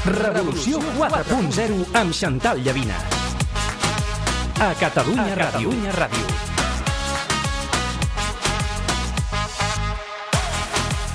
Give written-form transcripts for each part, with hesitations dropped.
Revolució 4.0 amb Xantal Llavina. A Catalunya Ràdio.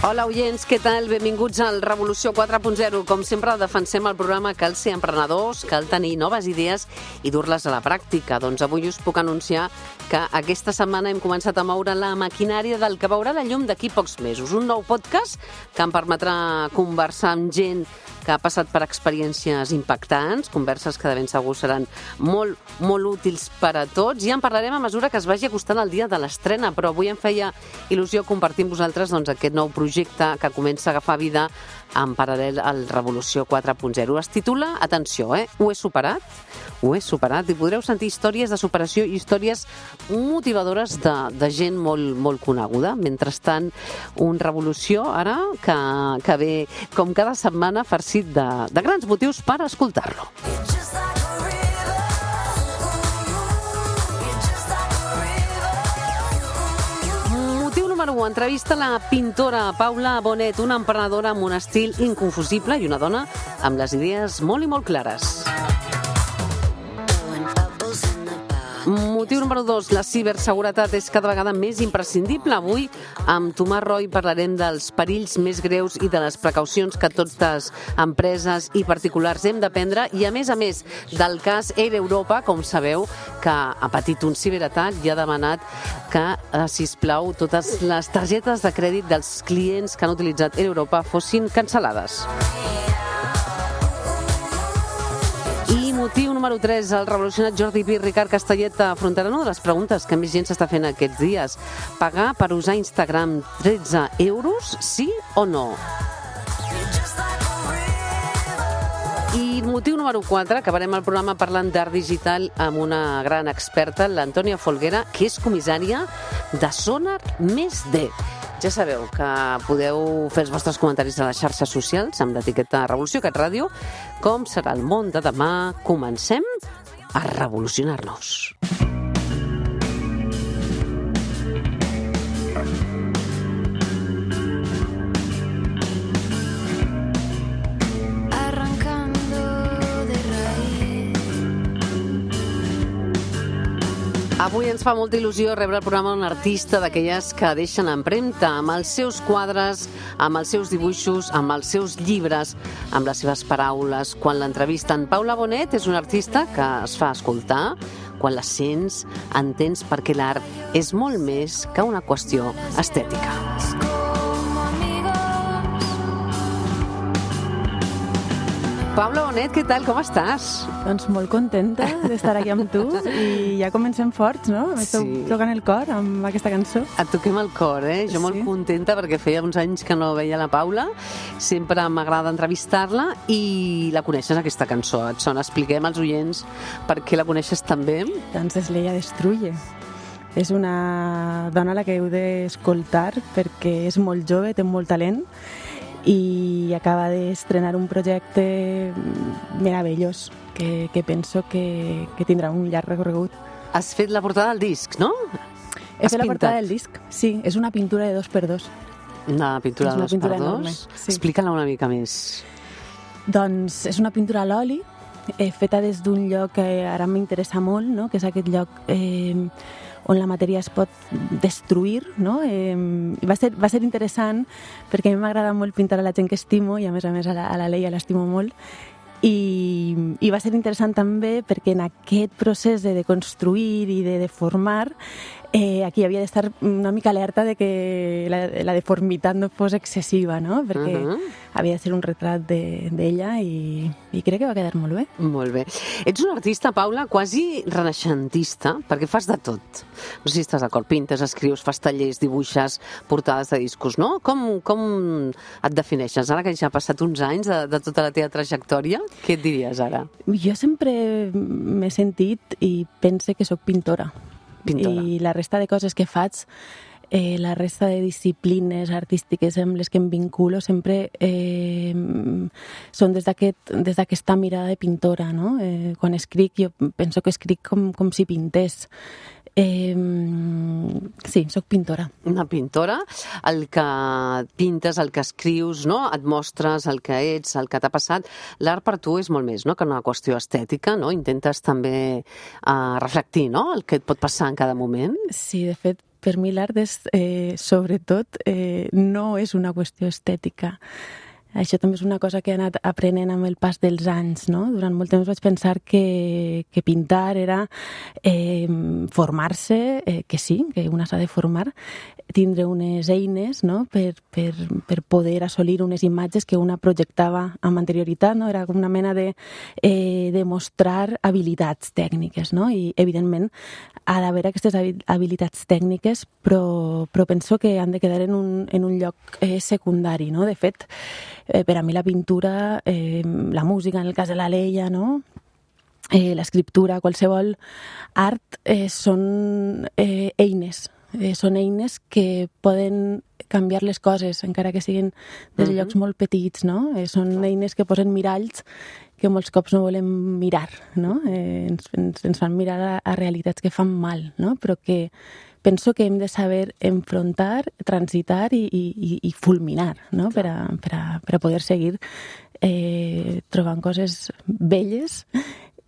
Hola, oients, què tal? Benvinguts al Revolució 4.0. Com sempre, defensem el programa Cal ser emprenedors, cal tenir noves idees i dur-les a la pràctica. Doncs avui us puc anunciar que aquesta setmana hem començat a moure la maquinària del que veurà la llum d'aquí pocs mesos. Un nou podcast que em permetrà conversar amb gent que ha passat per experiències impactants, converses que de ben segur seran molt, molt útils per a tots. Ja en parlarem a mesura que es vagi acostant el dia de l'estrena, però avui em feia il·lusió compartir amb vosaltres aquest nou projecte que comença a agafar vida en paral·lel al Revolució 4.0. Es titula, atenció, Ho he superat? Ho he superat, i podreu sentir històries de superació i històries motivadores de gent molt, molt coneguda. Mentrestant, un Revolució ara que ve, com cada setmana, farcit de grans motius per escoltar-lo. Motiu número 1. Entrevista la pintora Paula Bonet, una emprenedora amb un estil inconfusible i una dona amb les idees molt i molt clares. Motiu número 2. La ciberseguretat és cada vegada més imprescindible. Avui, amb Tomàs Roy, parlarem dels perills més greus i de les precaucions que totes empreses i particulars hem de prendre i, a més, del cas Air Europa, com sabeu, que ha patit un ciberatac i ha demanat que, sisplau, totes les targetes de crèdit dels clients que han utilitzat Air Europa fossin cancel·lades. Motiu número 3. El revolucionat Jordi Pi i Ricard Castellet afrontaran una de les preguntes que més gent s'està fent aquests dies. Pagar per usar Instagram 13 euros, sí o no? I motiu número 4. Acabarem el programa parlant d'art digital amb una gran experta, l'Antònia Folguera, que és comissària de Sonar Més D. Ja sabeu que podeu fer els vostres comentaris a les xarxes socials amb l'etiqueta Revolució Cat Ràdio. Com serà el món de demà? Comencem a revolucionar-nos. Avui ens fa molta il·lusió rebre el programa d'un artista d'aquelles que deixen empremta amb els seus quadres, amb els seus dibuixos, amb els seus llibres, amb les seves paraules. Quan l'entrevisten, Paula Bonet és una artista que es fa escoltar. Quan la sents, entens perquè l'art és molt més que una qüestió estètica. Paula Bonet, què tal? Com estàs? Doncs molt contenta d'estar aquí amb tu i ja comencem forts, no? M'esteu tocant el cor amb aquesta cançó. Et toquem el cor, Jo molt contenta perquè feia uns anys que no veia la Paula. Sempre m'agrada entrevistar-la i la coneixes, aquesta cançó. Et sona, expliquem als oients per què la coneixes tan bé. Doncs és l'Ella Destruye. És una dona a la que heu d'escoltar perquè és molt jove, té molt talent i acaba d'estrenar un projecte meravellós que penso que tindrà un llarg recorregut. Has fet la portada del disc, no? He fet la portada del disc, sí. És una pintura de 2x2. Una pintura de 2x2? Enorme, sí. Explica-la una mica més. Doncs és una pintura a l'oli, feta des d'un lloc que ara m'interessa molt, no? Que és aquest lloc on la matèria es pot destruir, no? Va ser interessant perquè a mi m'agrada molt pintar a la gent que estimo i a més a la Leia l'estimo molt i va ser interessant també perquè en aquest procés de construir i de deformar aquí havia d'estar una mica alerta de que la deformitat no fos excessiva, no? Perquè havia de ser un retrat d'ella i crec que va quedar molt bé. Molt bé. Ets una artista, Paula, quasi renaixentista, perquè fas de tot. No sé si estàs d'acord, pintes, escrius, fas tallers, dibuixes, portades de discos, no? Com et defineixes? Ara que ja ha passat uns anys de tota la teva trajectòria, què et diries ara? Jo sempre m'he sentit i pense que sóc pintora. I la resta de coses que faig, la resta de disciplines artístiques amb les que em vinculo sempre són des d'aquesta mirada de pintora, no? Quan escric, jo penso que escric com si pintés. Sí, sóc pintora. Una pintora, el que pintes, el que escrius, no? Et mostres el que ets, el que t'ha passat. L'art per tu és molt més, no?, que una qüestió estètica, no? Intentes també reflectir, no?, el que et pot passar en cada moment. Sí, de fet, per mi l'art és, sobretot, no és una qüestió estètica. Això també és una cosa que he anat aprenent amb el pas dels anys, no? Durant molt temps vaig pensar que pintar era formar-se, que sí, que una s'ha de formar, tindre unes eines, no?, per poder assolir unes imatges que una projectava amb anterioritat, no? Era com una mena de mostrar habilitats tècniques, no? I, evidentment, ha d'haver aquestes habilitats tècniques, però penso que han de quedar en un lloc secundari, no? De fet, per a mi la pintura, la música, en el cas de la Leia, no?, l'escriptura, qualsevol art, són eines. Són eines que poden canviar les coses, encara que siguin des de llocs molt petits, no? Són eines que posen miralls que molts cops no volem mirar, no? Ens fan mirar a realitats que fan mal, no? Però que penso que hem de saber enfrontar, transitar i fulminar, no? Per a poder seguir trobant coses belles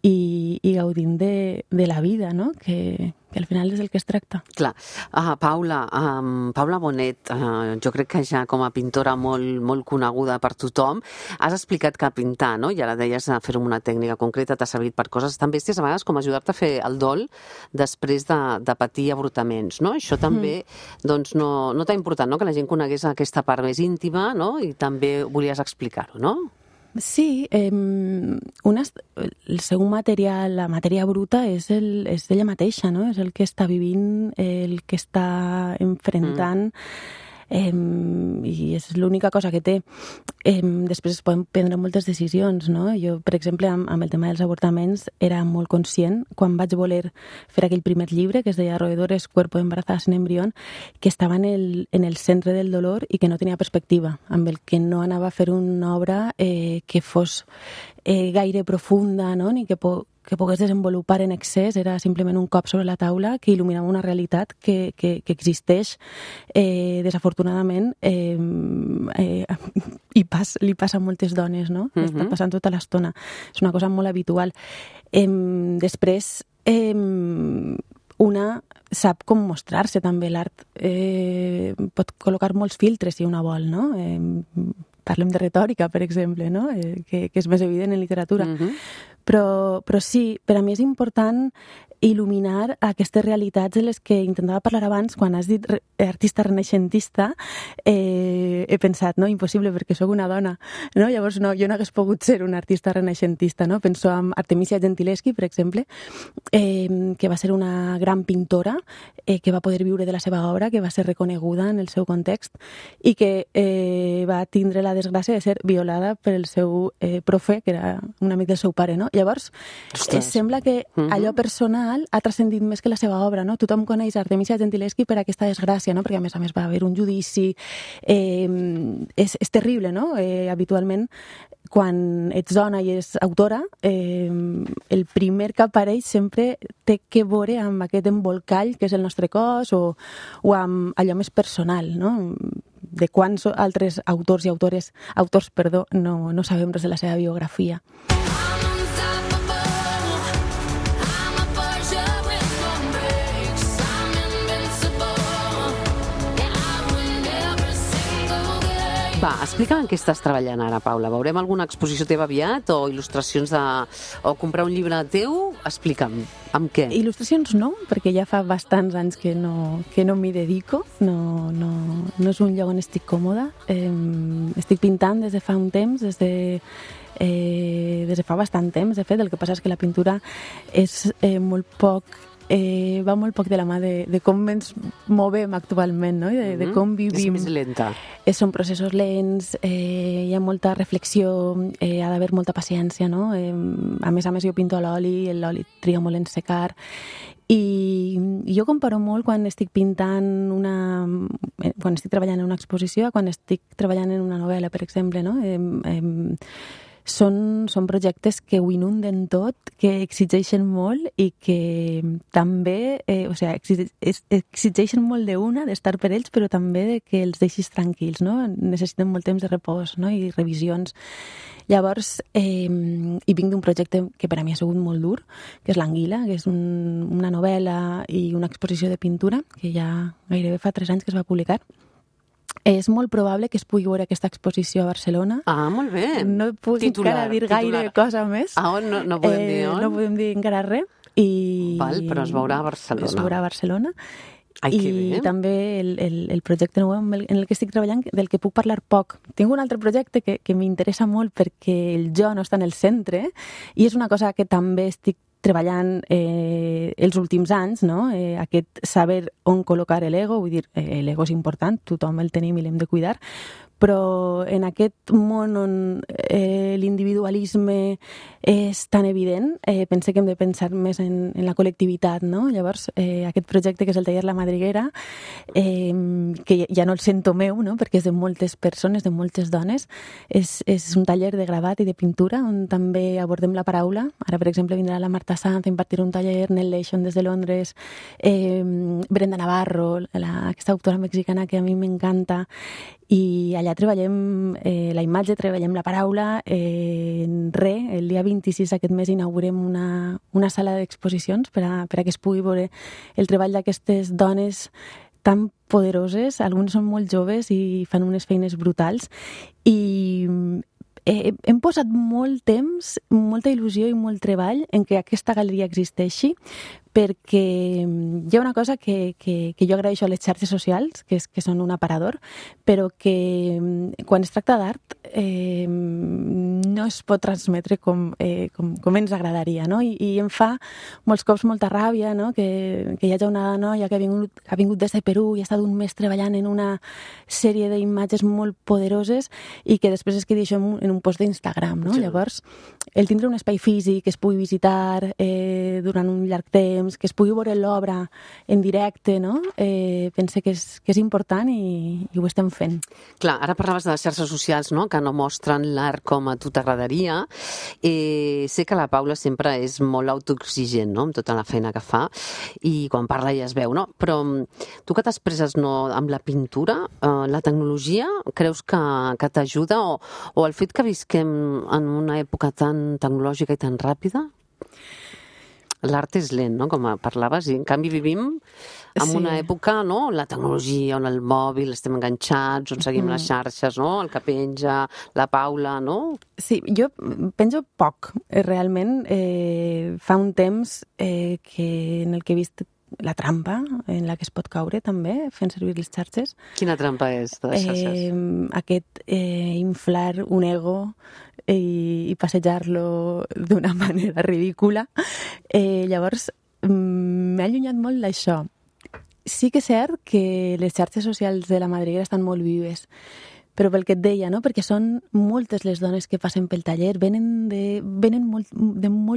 i gaudint de la vida, no? Que al final és el que es tracta. Clar. Paula Bonet, jo crec que ja com a pintora molt coneguda per tothom, has explicat que pintar, no?, i ara deies fer-ho amb una tècnica concreta, t'ha servit per coses tan bèsties, a vegades com ajudar-te a fer el dol després de patir avortaments, no? Això també, doncs, no t'ha importat, no?, que la gent conegués aquesta part més íntima, no?, i també volies explicar-ho, no? Sí, el seu material, la matèria bruta, és ella mateixa, no? És el que està vivint, el que està enfrontant, i és l'única cosa que té. Després es poden prendre moltes decisions, no? Jo, per exemple, amb el tema dels avortaments era molt conscient quan vaig voler fer aquell primer llibre que es deia Roedores, cuerpo embarazada sin embrión, que estava en el centre del dolor i que no tenia perspectiva, amb el que no anava a fer una obra que fos gaire profunda, no?, ni que pogués desenvolupar en excés. Era simplement un cop sobre la taula que il·luminava una realitat que existeix, desafortunadament, i li passa a moltes dones, no? Està passant tota l'estona. És una cosa molt habitual. Després, una sap com mostrar-se també. L'art pot col·locar molts filtres si una vol, no? Parlem de retòrica, per exemple, no? Que és més evident en literatura. Però sí, per a mi és important il·luminar aquestes realitats de les que intentava parlar abans. Quan has dit artista renaixentista, he pensat, no, impossible, perquè sóc una dona, no? Llavors, no, jo no hagués pogut ser una artista renaixentista, no? Penso en Artemisia Gentileschi, per exemple, que va ser una gran pintora, que va poder viure de la seva obra, que va ser reconeguda en el seu context i que va tindre la desgràcia de ser violada per el seu profe, que era un amic del seu pare, no? Llavors, sembla que allò personal ha transcendit més que la seva obra, no? Tothom coneix Artemisia Gentileschi per aquesta desgràcia, no? Perquè a més va haver un judici. És terrible, no? Habitualment, quan ets dona i ets autora, el primer que apareix sempre té que veure amb aquest embolcall que és el nostre cos o amb allò més personal, no? De quants altres autors no sabem res de la seva biografia. Va, explica'm en què estàs treballant ara, Paula. Veurem alguna exposició teva aviat o il·lustracions o comprar un llibre teu? Explica'm, amb què? Il·lustracions no, perquè ja fa bastants anys que no m'hi dedico. No és un lloc on estic còmoda. Estic pintant des de fa un temps, des de fa bastant temps, de fet. El que passa és que la pintura és va molt poc de la mà de com ens movem actualment, no? De com vivim. És més lenta. Són processos lents, hi ha molta reflexió, ha d'haver molta paciència, no? A més, jo pinto a l'oli, l'oli triga molt en secar, i jo comparo molt quan estic pintant quan estic treballant en una exposició, quan estic treballant en una novel·la, per exemple, no? són projectes que ho inunden tot, que exigeixen molt i que també, exigeixen molt d'estar per ells, però també de que els deixis tranquils, no? Necessiten molt temps de repòs, no? I revisions. Llavors, i vinc d'un projecte que per a mi ha sigut molt dur, que és l'Anguila, que és una novel·la i una exposició de pintura, que ja gairebé fa 3 anys que es va publicar. És molt probable que es pugui veure aquesta exposició a Barcelona. Ah, molt bé. No puc encara dir gaire cosa més. Ah, no podem dir on? No podem dir encara res. Val, però es veurà a Barcelona. Es veurà a Barcelona. Ai, que bé. I també el projecte nou en el que estic treballant, del que puc parlar poc. Tinc un altre projecte que m'interessa molt perquè el jo no està en el centre i és una cosa que també estic treballant els últims anys, no? Aquest saber on col·locar l'ego, vull dir, l'ego és important, tothom el tenim i l'hem de cuidar, però en aquest món on l'individualisme és tan evident, pense que hem de pensar més en la col·lectivitat, no? Llavors, aquest projecte que és el taller La Madriguera, que ja no el sento meu, no? Perquè és de moltes persones, de moltes dones, és un taller de gravat i de pintura on també abordem la paraula. Ara, per exemple, vindrà la Marta Sanz a impartir un taller, Nell Leishon des de Londres, Brenda Navarro, aquesta autora mexicana que a mi m'encanta, i allà treballem la imatge, treballem la paraula. El dia 26 aquest mes inaugurem una sala d'exposicions per a que es pugui veure el treball d'aquestes dones tan poderoses. Algunes són molt joves i fan unes feines brutals, i hem posat molt temps, molta il·lusió i molt treball en que aquesta galeria existeixi, perquè hi ha una cosa que jo agraeixo a les xarxes socials, que són un aparador, però que quan es tracta d'art no es pot transmetre com ens agradaria, no? I em fa molts cops molta ràbia, no? Que hi hagi una noia que ha vingut des de Perú i ha estat un mes treballant en una sèrie d'imatges molt poderoses i que després es quedi això en un post d'Instagram, no? Sí. Llavors, el tindre un espai físic que es pugui visitar durant un llarg temps, que es pugui veure l'obra en directe, no? Pense que és important i ho estem fent. Clar, ara parlaves de les xarxes socials, no? Que no mostren l'art com a tu t'agradaria. Sé que la Paula sempre és molt autoexigent, no? Amb tota la feina que fa, i quan parla ja es veu, no? Però tu que t'expresses, no, amb la pintura, la tecnologia, creus que t'ajuda, o el fet que visquem en una època tan tecnològica i tan ràpida? L'art és lent, no?, com parlaves, i en canvi vivim en una època, no?, la tecnologia, on el mòbil, estem enganxats, on seguim les xarxes, no?, el que penja, la Paula, no? Sí, jo penjo poc. Realment, fa un temps en el que he vist la trampa en la que es pot caure també, fent servir les xarxes. Quina trampa és de les xarxes? Aquest inflar un ego i passejar-lo d'una manera ridícula. Llavors, m'ha allunyat molt d'això. Sí que és cert que les xarxes socials de la Madriguera estan molt vives, però pel que et deia, no? Perquè són moltes les dones que passen pel taller, venen de molt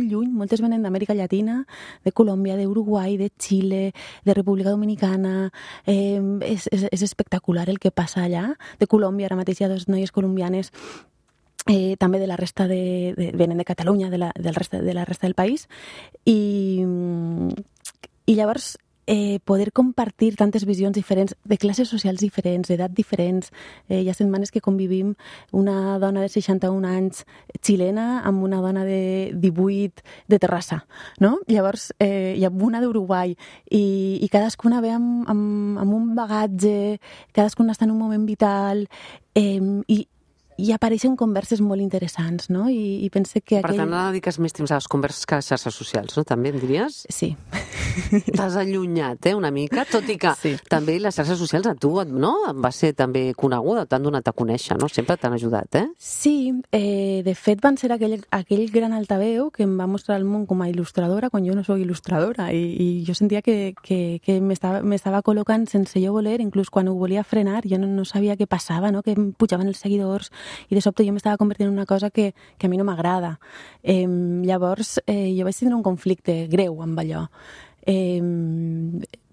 lluny, moltes venen d'Amèrica Llatina, de Colòmbia, d'Uruguai, de Xile, de República Dominicana. És espectacular el que passa allà. De Colòmbia, ara mateix hi ha 2 noies colombianes, també de la resta venen de Catalunya, de la resta del país, i llavors poder compartir tantes visions diferents, de classes socials diferents, d'edat diferents. Hi ha setmanes que convivim una dona de 61 anys xilena amb una dona de 18 de Terrassa, no? Llavors hi ha una d'Uruguai i cadascuna ve amb un bagatge, cadascuna està en un moment vital, i apareixen converses molt interessants, no? I pense que Per tant, ara dediques més temps a les converses que a les xarxes socials, no? També em diries? Sí. T'has allunyat, una mica, tot i que també les xarxes socials a tu, no? Va ser també coneguda, t'han donat a conèixer, no? Sempre t'han ajudat, Sí, de fet van ser aquell gran altaveu que em va mostrar el món com a il·lustradora quan jo no soc il·lustradora, i jo sentia que m'estava col·locant sense jo voler, inclús quan ho volia frenar, jo no sabia què passava, no? Que em pujaven els seguidors, i de sobte jo m'estava convertint en una cosa que a mi no m'agrada. Llavors jo vaig tindre un conflicte greu amb allò.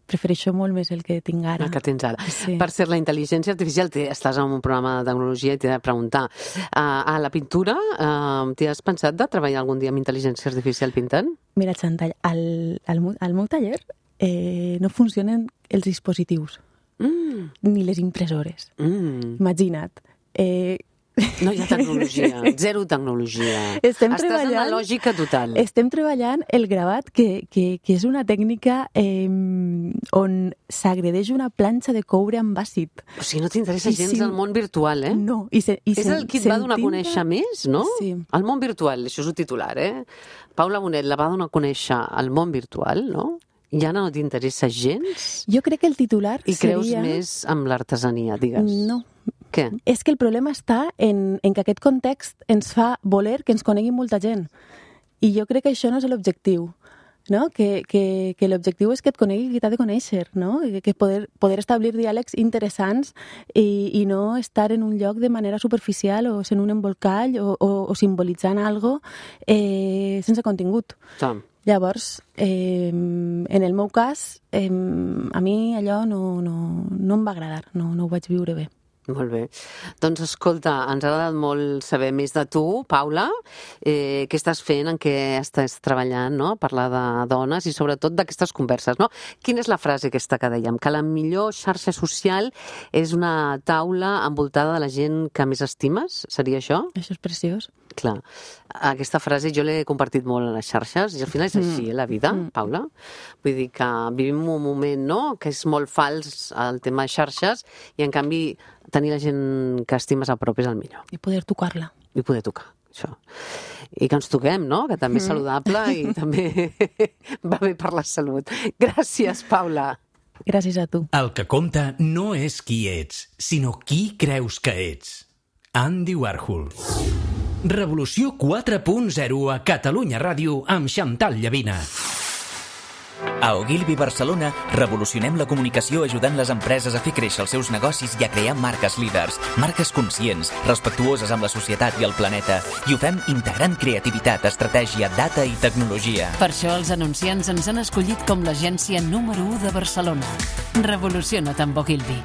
prefereixo molt més el que tinc ara. El que tens ara. Sí. Per ser la intel·ligència artificial, estàs en un programa de tecnologia i t'he de preguntar, a la pintura, t'hi has pensat de treballar algun dia amb intel·ligència artificial pintant? Mira, Chantal, al meu taller no funcionen els dispositius, ni les impressores. Imagina't. No hi ha tecnologia, zero tecnologia. Estàs en la lògica total. Estem treballant el gravat, que és una tècnica on s'agredeix una planxa de coure amb àcid. O sigui, no t'interessa gens el món virtual, eh? No. És el que et va donar a conèixer més, no? Sí. El món virtual, això és un titular, Paula Bonet la va donar a conèixer el món virtual, no? I ara no t'interessa gens? Jo crec que el titular I creus més amb l'artesania, digues? No. Què? És que el problema està en que aquest context ens fa voler que ens conegui molta gent. I jo crec que això no és l'objectiu, no? Que l'objectiu és que et conegui qui t'ha de conèixer, no? Que poder establir diàlegs interessants i no estar en un lloc de manera superficial o sent un embolcall o simbolitzant algo sense contingut. Sí. Llavors, en el meu cas, a mi allò no em va agradar, no ho vaig viure bé. Molt bé. Doncs escolta, ens ha agradat molt saber més de tu, Paula, què estàs fent, en què estàs treballant, no? Parlar de dones i sobretot d'aquestes converses, no? Quina és la frase aquesta que dèiem? Que la millor xarxa social és una taula envoltada de la gent que més estimes? Seria això? Això és preciós. Clar, aquesta frase jo l'he compartit molt a les xarxes i al final és així, la vida, Paula. Vull dir que vivim un moment, no?, que és molt fals el tema de xarxes i en canvi tenir la gent que estimes a prop és el millor. I poder tocar-la. I poder tocar, això. I que ens toquem, no?, que també és saludable i també va bé per la salut. Gràcies, Paula. Gràcies a tu. El que compta no és qui ets, sinó qui creus que ets. Andy Warhol. Revolució 4.0 a Catalunya Ràdio amb Chantal Llavina. A Ogilvy Barcelona revolucionem la comunicació ajudant les empreses a fer créixer els seus negocis i a crear marques líders, marques conscients, respectuoses amb la societat i el planeta, i ho fem integrant creativitat, estratègia, data i tecnologia. Per això els anunciants ens han escollit com l'agència número 1 de Barcelona. Revoluciona't amb Ogilvy.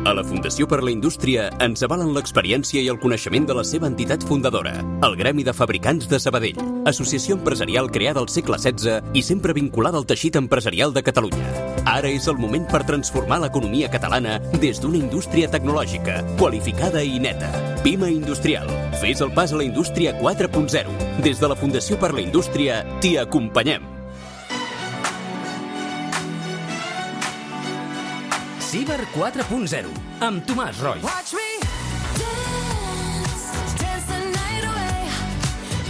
A la Fundació per la Indústria ens avalen l'experiència i el coneixement de la seva entitat fundadora, el Gremi de Fabricants de Sabadell, associació empresarial creada al segle XVI i sempre vinculada al teixit empresarial de Catalunya. Ara és el moment per transformar l'economia catalana des d'una indústria tecnològica, qualificada i neta. Pima Industrial. Fes el pas a la indústria 4.0. Des de la Fundació per la Indústria t'hi acompanyem. Ciber 4.0, amb Tomàs Roig.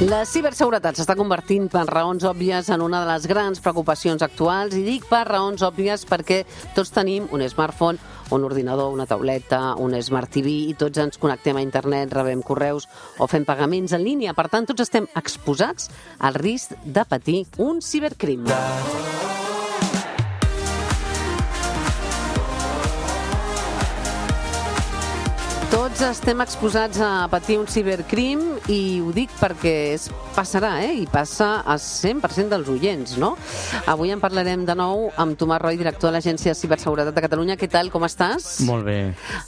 La ciberseguretat s'està convertint per raons òbvies en una de les grans preocupacions actuals, i dic per raons òbvies perquè tots tenim un smartphone, un ordinador, una tauleta, un Smart TV i tots ens connectem a internet, rebem correus o fem pagaments en línia. Per tant, tots estem exposats al risc de patir un cibercrim. Tots estem exposats a patir un cibercrim i ho dic perquè passarà, i passa a 100% dels oients, no? Avui en parlarem de nou amb Tomàs Roig, director de l'Agència de Ciberseguretat de Catalunya. Què tal, com estàs? Molt bé.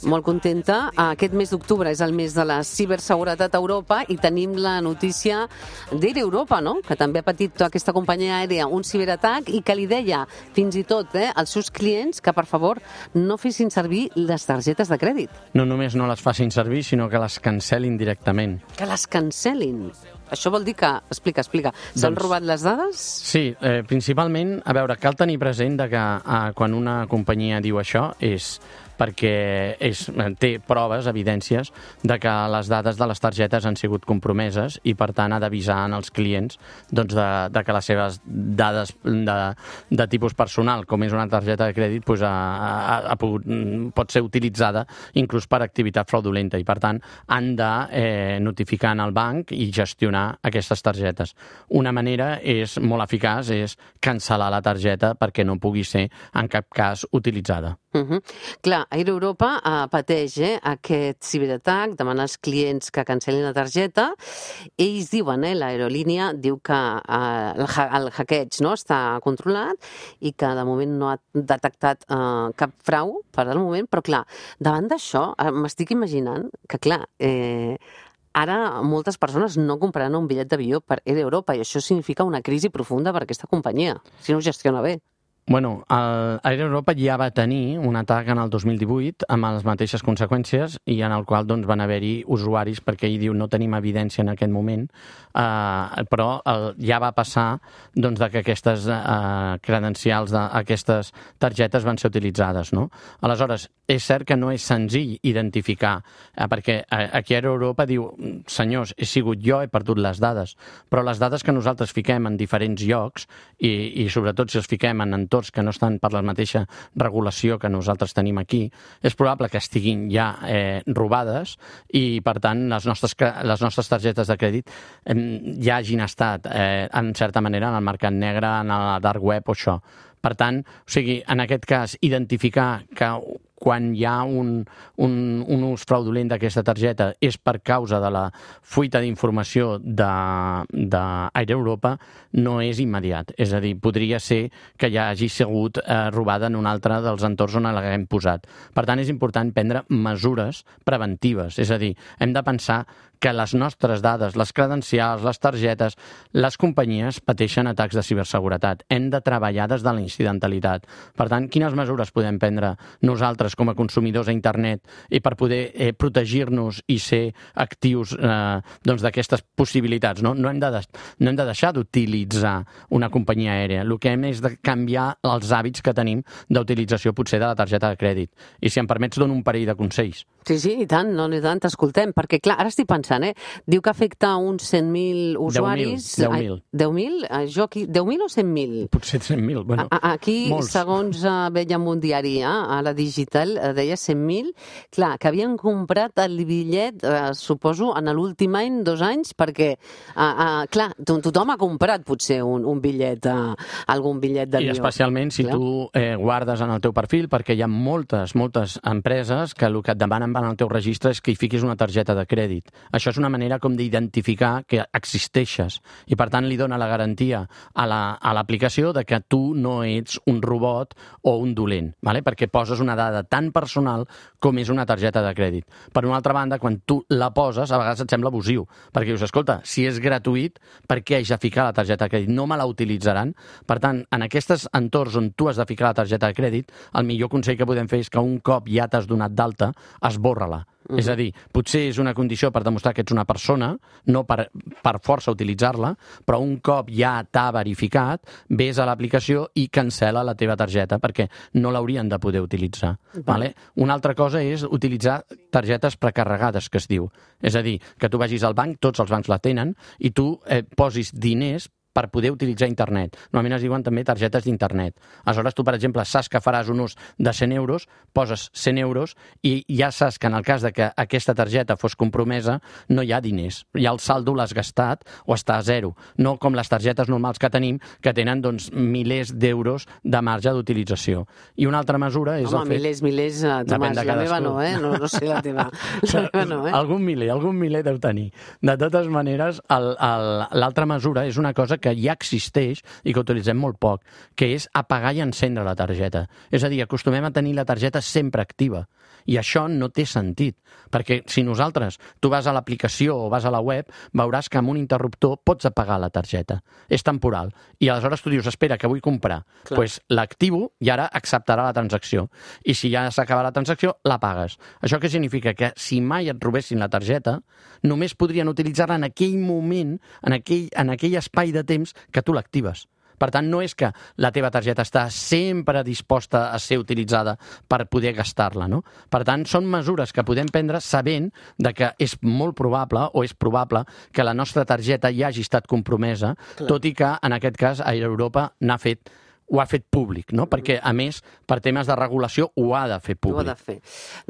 Molt contenta. Aquest mes d'octubre és el mes de la ciberseguretat a Europa i tenim la notícia d'Air Europa, no?, que també ha patit aquesta companyia aèria un ciberatac i que li deia fins i tot als seus clients que, per favor, no fessin servir les targetes de crèdit. No només no les facin servir, sinó que les cancel·lin directament. Que les cancel·lin? Això vol dir que... Explica. S'han robat les dades? Sí, principalment, a veure, cal tenir present que quan una companyia diu això és perquè té proves, evidències, de que les dades de les targetes han sigut compromeses i, per tant, ha d'avisar als clients de que les seves dades de tipus personal, com és una targeta de crèdit, pot ser utilitzada inclús per activitat fraudulenta i, per tant, han de notificar al banc i gestionar aquestes targetes. Una manera molt eficaç és cancel·lar la targeta perquè no pugui ser en cap cas utilitzada. Clar, Air Europa pateix aquest ciberatac, demana als clients que cancel·lin la targeta. Ells diuen, l'aerolínia diu que el hackeig està controlat i que de moment no ha detectat cap frau per al moment, però clar, davant d'això m'estic imaginant que clar, ara moltes persones no compraran un bitllet d'avió per Air Europa i això significa una crisi profunda per aquesta companyia, si no ho gestiona bé. Bueno, Air Europa ja va tenir un atac en el 2018 amb les mateixes conseqüències i en el qual van haver-hi usuaris, perquè ell diu no tenim evidència en aquest moment, però ja va passar que aquestes credencials d'aquestes targetes van ser utilitzades, no? Aleshores, és cert que no és senzill identificar, perquè aquí Air Europa diu, senyors, he sigut jo, he perdut les dades, però les dades que nosaltres fiquem en diferents llocs i sobretot si els fiquem en entorns que no estan per la mateixa regulació que nosaltres tenim aquí, és probable que estiguin ja robades i, per tant, les nostres targetes de crèdit ja hagin estat, en certa manera, en el mercat negre, en la dark web o això. Per tant, en aquest cas, identificar que quan hi ha un ús fraudulent d'aquesta targeta és per causa de la fuita d'informació d'Air Europa no és immediat. És a dir, podria ser que ja hagi sigut robada en un altre dels entorns on l'haguem posat. Per tant, és important prendre mesures preventives. És a dir, hem de pensar que les nostres dades, les credencials, les targetes, les companyies pateixen atacs de ciberseguretat. Hem de treballar des de la incidentalitat. Per tant, quines mesures podem prendre nosaltres com a consumidors a internet i per poder protegir-nos i ser actius d'aquestes possibilitats? No hem de deixar d'utilitzar una companyia aèria. El que hem és de canviar els hàbits que tenim d'utilització potser de la targeta de crèdit. I si em permets, dono un parell de consells. Sí, i tant, t'escoltem, perquè clar, ara estic pensant, diu que afecta uns 100.000 usuaris. 10.000. 10.000? Jo aquí, 10.000 o 100.000? Potser 100.000, bueno, aquí, molts. Segons veiem un diari, a la digital, deia 100.000, clar, que havien comprat el bitllet, suposo, en l'últim any, 2 anys, perquè, clar, tothom ha comprat potser un bitllet, algun bitllet d'avió. I especialment si tu guardes en el teu perfil, perquè hi ha moltes empreses que el que et demanen en el teu registre és que hi fiquis una targeta de crèdit. Això és una manera com d'identificar que existeixes i, per tant, li dona la garantia a l'aplicació de que tu no ets un robot o un dolent, perquè poses una dada tan personal com és una targeta de crèdit. Per una altra banda, quan tu la poses, a vegades et sembla abusiu, perquè dius, escolta, si és gratuït, per què haig de ficar la targeta de crèdit? No me la utilitzaran. Per tant, en aquests entorns on tu has de ficar la targeta de crèdit, el millor consell que podem fer és que un cop ja t'has donat d'alta, esborra-la. És a dir, potser és una condició per demostrar que ets una persona, no per força utilitzar-la, però un cop ja t'ha verificat, vés a l'aplicació i cancel·la la teva targeta, perquè no l'haurien de poder utilitzar. Una altra cosa és utilitzar targetes precarregades, que es diu. És a dir, que tu vagis al banc, tots els bancs la tenen, i tu posis diners per poder utilitzar internet. Normalment es diuen també targetes d'internet. Aleshores, tu, per exemple, saps que faràs un ús de 100 euros, poses 100 euros i ja saps que en el cas de que aquesta targeta fos compromesa, no hi ha diners. Ja el saldo l'has gastat o està a zero. No com les targetes normals que tenim, que tenen milers d'euros de marge d'utilització. I una altra mesura és el fet... Milers, Tomàs, la meva no, no sé la teva. Algun miler deu tenir. De totes maneres, l'altra mesura és una cosa que ja existeix i que utilitzem molt poc, que és apagar i encendre la targeta. És a dir, acostumem a tenir la targeta sempre activa. I això no té sentit, perquè si tu vas a l'aplicació o vas a la web, veuràs que amb un interruptor pots apagar la targeta. És temporal. I aleshores tu dius, espera, que vull comprar. Doncs l'activo i ara acceptarà la transacció. I si ja s'acaba la transacció, la pagues. Això què significa? Que si mai et robessin la targeta, només podrien utilitzar-la en aquell moment, en aquell espai de temps que tu l'actives. Per tant, no és que la teva targeta està sempre disposta a ser utilitzada per poder gastar-la, no? Per tant, són mesures que podem prendre sabent que és molt probable o és probable que la nostra targeta ja hagi estat compromesa, tot i que, en aquest cas, Air Europa n'ha fet ho ha fet públic, no? Perquè, a més, per temes de regulació, ho ha de fer públic. Ho ha de fer.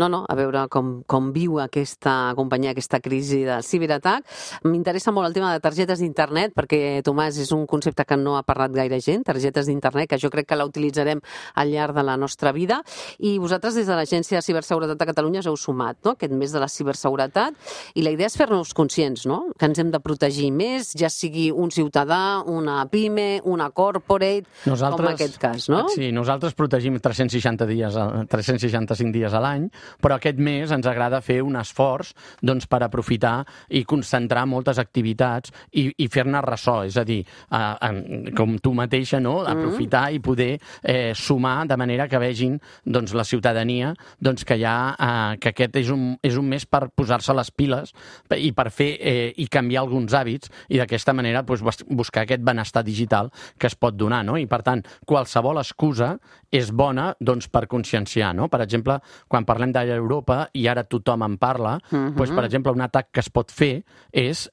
No, a veure com viu aquesta companyia, aquesta crisi de ciberatac. M'interessa molt el tema de targetes d'internet, perquè, Tomàs, és un concepte que no ha parlat gaire gent, targetes d'internet, que jo crec que la utilitzarem al llarg de la nostra vida. I vosaltres, des de l'Agència de Ciberseguretat de Catalunya, us heu sumat, no?, aquest mes de la ciberseguretat, i la idea és fer-nos conscients, no?, que ens hem de protegir més, ja sigui un ciutadà, una pime, una corporate, com en aquest cas, no? Sí, nosaltres protegim 365 dies a l'any, però aquest mes ens agrada fer un esforç per aprofitar i concentrar moltes activitats i fer-ne ressò, és a dir, com tu mateixa, no?, aprofitar i poder sumar de manera que vegin la ciutadania que aquest és un mes per posar-se les piles i per fer i canviar alguns hàbits i d'aquesta manera buscar aquest benestar digital que es pot donar, no? I per tant, qualsevol excusa és bona per conscienciar, no? Per exemple, quan parlem d'Aire Europa, i ara tothom en parla, per exemple, un atac que es pot fer és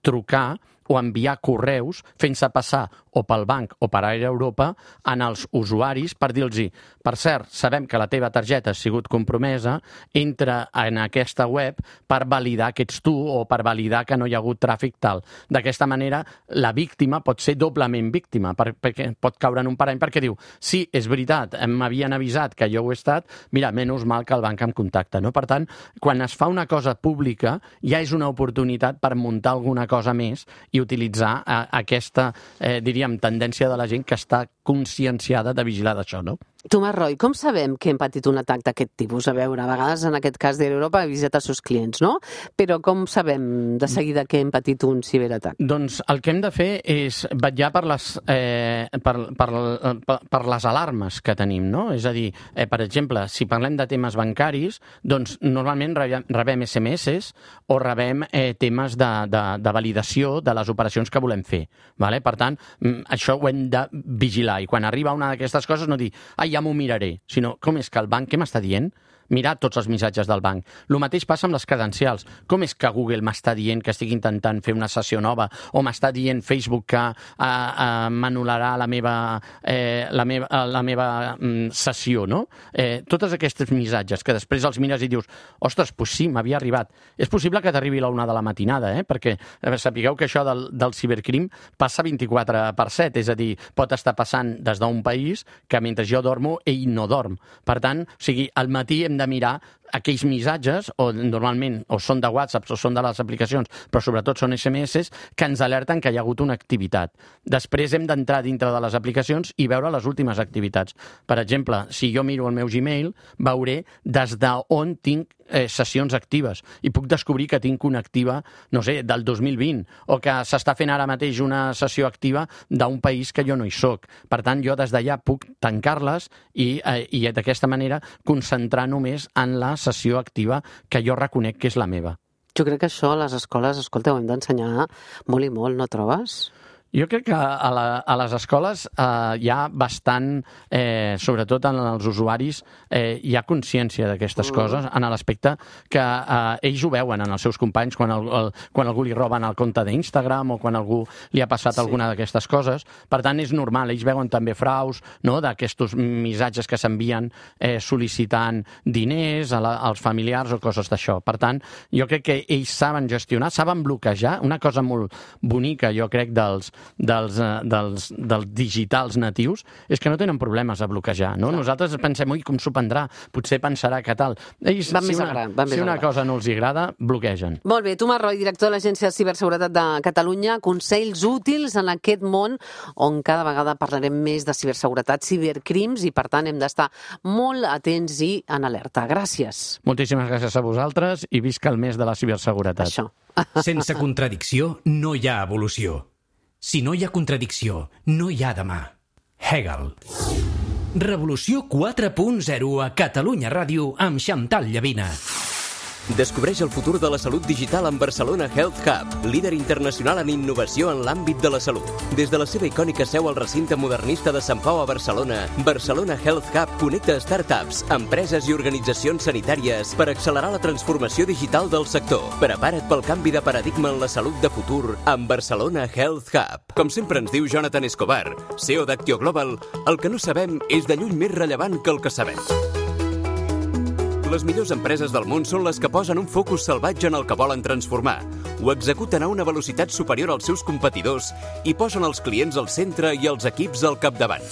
trucar o enviar correus fent-se passar o pel banc o per Aire Europa en els usuaris per dir-los, per cert, sabem que la teva targeta ha sigut compromesa, entra en aquesta web per validar que ets tu o per validar que no hi ha hagut tràfic tal. D'aquesta manera, la víctima pot ser doblement víctima, perquè pot caure en un parany perquè diu, sí, és veritat, m'havien avisat que jo ho he estat, mira, menys mal que el banc em contacta, no? Per tant, quan es fa una cosa pública, ja és una oportunitat per muntar alguna cosa més i utilitzar aquesta, diríem, tendència de la gent que està conscienciada de vigilar d'això, no? Tomàs Roy, com sabem que hem patit un atac d'aquest tipus? A veure, a vegades en aquest cas d'Europa ha avisat els seus clients, no? Però com sabem de seguida que hem patit un ciberatac? Doncs el que hem de fer és vetllar per les alarmes que tenim, no? És a dir, per exemple, si parlem de temes bancaris, doncs normalment rebem SMS o rebem temes de validació de les operacions que volem fer. Per tant, això ho hem de vigilar i quan arriba una d'aquestes coses no dir, ja m'ho miraré, sinó com és que el banc, què m'està dient? Mirar tots els missatges del banc. El mateix passa amb les credencials. Com és que Google m'està dient que estic intentant fer una sessió nova o m'està dient Facebook que m'anul·larà la meva sessió, no? Tots aquests missatges que després els mires i dius, ostres, doncs sí, m'havia arribat. És possible que t'arribi a la 1 de la matinada, perquè sapigueu que això del cibercrim passa 24/7, és a dir, pot estar passant des d'un país que mentre jo dormo, ell no dorm. Per tant, o sigui, al matí hem de mirar aquells missatges, o normalment o són de WhatsApp o són de les aplicacions, però sobretot són SMS, que ens alerten que hi ha hagut una activitat. Després hem d'entrar dintre de les aplicacions i veure les últimes activitats. Per exemple, si jo miro el meu Gmail, veuré des d'on tinc sessions actives i puc descobrir que tinc una activa, no sé, del 2020 o que s'està fent ara mateix una sessió activa d'un país que jo no hi soc. Per tant, jo des d'allà puc tancar-les i d'aquesta manera concentrar només en la sessió activa que jo reconec que és la meva. Jo crec que això a les escoles, escolta, ho hem d'ensenyar molt i molt, no trobes? Jo crec que a les escoles hi ha bastant, sobretot en els usuaris, hi ha consciència d'aquestes coses, en l'aspecte que ells ho veuen en els seus companys quan algú li roben el compte d'Instagram o quan algú li ha passat alguna d'aquestes coses. Per tant, és normal, ells veuen també fraus, no?, d'aquests missatges que s'envien sol·licitant diners als familiars o coses d'això. Per tant, jo crec que ells saben gestionar, saben bloquejar. Una cosa molt bonica, jo crec, dels digitals natius és que no tenen problemes a bloquejar, no? Nosaltres pensem, ui, com s'ho prendrà? Potser pensarà que tal. Ells, si una cosa no els agrada, bloquegen. Molt bé, Tomàs Roy, director de l'Agència de Ciberseguretat de Catalunya, consells útils en aquest món on cada vegada parlarem més de ciberseguretat, cibercrims, i per tant hem d'estar molt atents i en alerta. Gràcies. Moltíssimes gràcies a vosaltres i visca el mes de la ciberseguretat. Això. Sense contradicció no hi ha evolució. Si no hi ha contradicció, no hi ha demà. Hegel. Revolució 4.0 a Catalunya Ràdio amb Xantal Llavina. Descobreix el futur de la salut digital amb Barcelona Health Hub, líder internacional en innovació en l'àmbit de la salut. Des de la seva icònica seu al recinte modernista de Sant Pau a Barcelona, Barcelona Health Hub connecta startups, empreses i organitzacions sanitàries per accelerar la transformació digital del sector. Prepara't pel canvi de paradigma en la salut de futur amb Barcelona Health Hub. Com sempre ens diu Jonathan Escobar, CEO d'Actio Global, el que no sabem és de lluny més rellevant que el que sabem. Les millors empreses del món són les que posen un focus salvatge en el que volen transformar, ho executen a una velocitat superior als seus competidors i posen els clients al centre i els equips al capdavant.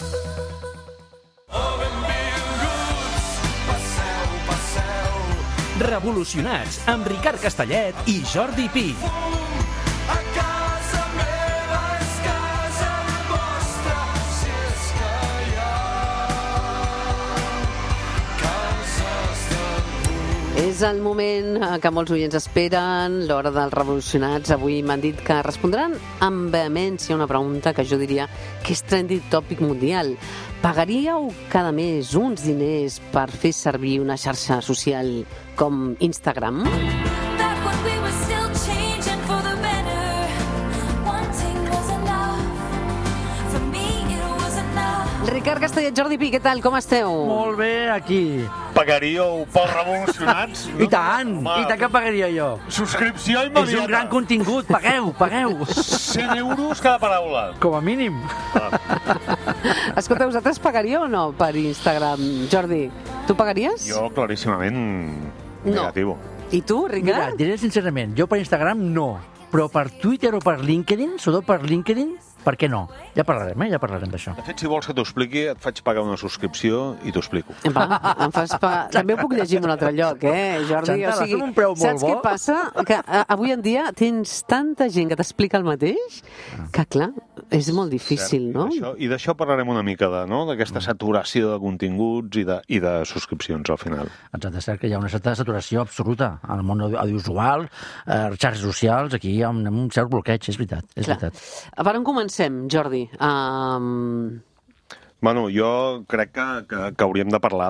Revolucionats, amb Ricard Castellet i Jordi Pi. És el moment que molts oients esperen, l'hora dels revolucionats. Avui m'han dit que respondran amb vehemència una pregunta que jo diria que és trending topic mundial. Pagaríeu cada mes uns diners per fer servir una xarxa social com Instagram? Ricard Castellet, Jordi Pi, què tal? Com esteu? Molt bé, aquí. Pagaríeu pels revolucionats? I tant, i tant que pagaria jo. Subscripció immediata. És un gran contingut, pagueu. 100 euros cada paraula. Com a mínim. Escolta, vosaltres pagaríeu o no per Instagram? Jordi, tu pagaries? Jo, claríssimament, negativo. I tu, Mira, Ricard? diré sincerament, jo per Instagram no, però per Twitter o per LinkedIn, sobretot per LinkedIn, per què no? Ja parlarem, ja parlarem d'això. De fet, si vols que t'ho expliqui, et faig pagar una subscripció i t'ho explico. Va, em fas També ho puc llegir en un altre lloc, Jordi? Xantal, fem un preu molt saps bo. què passa? Que avui en dia tens tanta gent que t'explica el mateix que, clar, és molt difícil, no? I d'això parlarem una mica, d'aquesta saturació de continguts i de subscripcions, al final. Exacte, és cert que hi ha una certa saturació absoluta al món audiovisual, xarxes socials, aquí hi ha un cert bloqueig, és veritat, és veritat. Per on comencem, Jordi? Bueno, jo crec que hauríem de parlar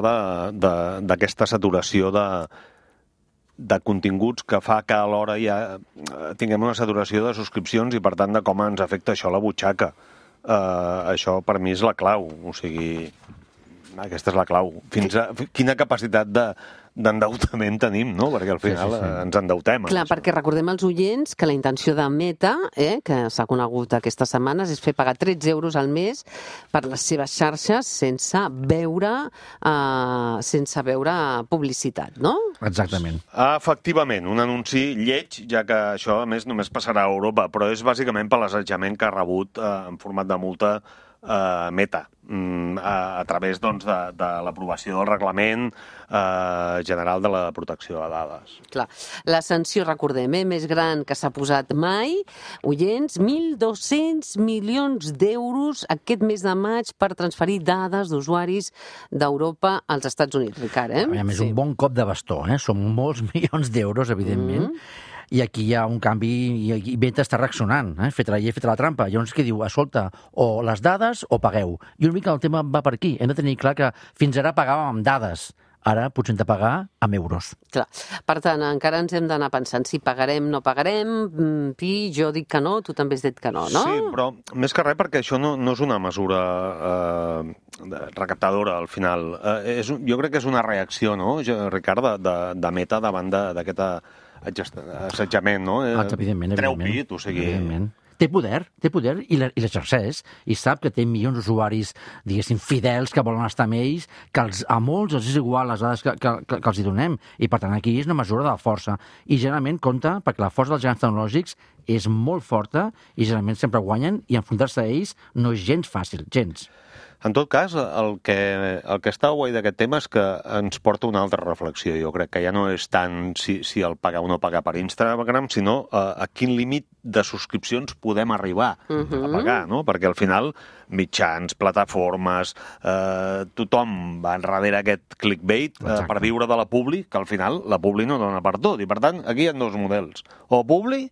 d'aquesta saturació de continguts que fa que alhora ja tinguem una saturació de subscripcions i, per tant, de com ens afecta això a la butxaca. Això, per mi, és la clau. O sigui, aquesta és la clau. Fins a quina capacitat d'endeutament tenim, no? Perquè al final ens endeutem. Clar, perquè recordem als oients que la intenció de Meta, que s'ha conegut aquestes setmanes, és fer pagar 13 euros al mes per les seves xarxes sense veure publicitat, no? Exactament. Efectivament, un anunci lleig, ja que això, a més, només passarà a Europa, però és bàsicament per l'assetjament que ha rebut en format de multa Meta, a través doncs, de l'aprovació del Reglament General de la Protecció de Dades. Clar, la sanció, recordem, més gran que s'ha posat mai, oients, 1.200 milions d'euros aquest mes de maig per transferir dades d'usuaris d'Europa als Estats Units, Ricard, A més, un bon cop de bastó, Són molts milions d'euros, evidentment, i aquí hi ha un canvi i Meta està reaccionant, fet la trampa. Llavors què diu? Escolta, o les dades o pagueu. I una mica el tema va per aquí. Hem de tenir clar que fins ara pagàvem amb dades. Ara potser hem de pagar amb euros. Clar. Per tant, encara ens hem d'anar pensant si pagarem, no pagarem. Pi, jo dic que no, tu també has dit que no, no? Sí, però més que res perquè això no és una mesura recaptadora, al final. Jo crec que és una reacció, no, Ricard, de Meta davant d'aquest assetjament, no? Evidentment. Treu pit, o sigui... Evidentment. Té poder i l'exerceix, i sap que té milions d'usuaris, diguéssim, fidels, que volen estar amb ells, que a molts els és igual les dades que els hi donem, i per tant aquí és una mesura de força. I generalment compta, perquè la força dels gegants tecnològics és molt forta, i generalment sempre guanyen, i enfrontar-se a ells no és gens fàcil, gens. En tot cas, el que està guai d'aquest tema és que ens porta una altra reflexió. Jo crec que ja no és tant si el pagar o no pagar per Instagram, sinó a quin límit de subscripcions podem arribar a pagar, no? Perquè al final mitjans, plataformes, tothom va enrere aquest clickbait per viure de la publi, que al final la publi no dona per tot. I per tant, aquí hi ha dos models. O publi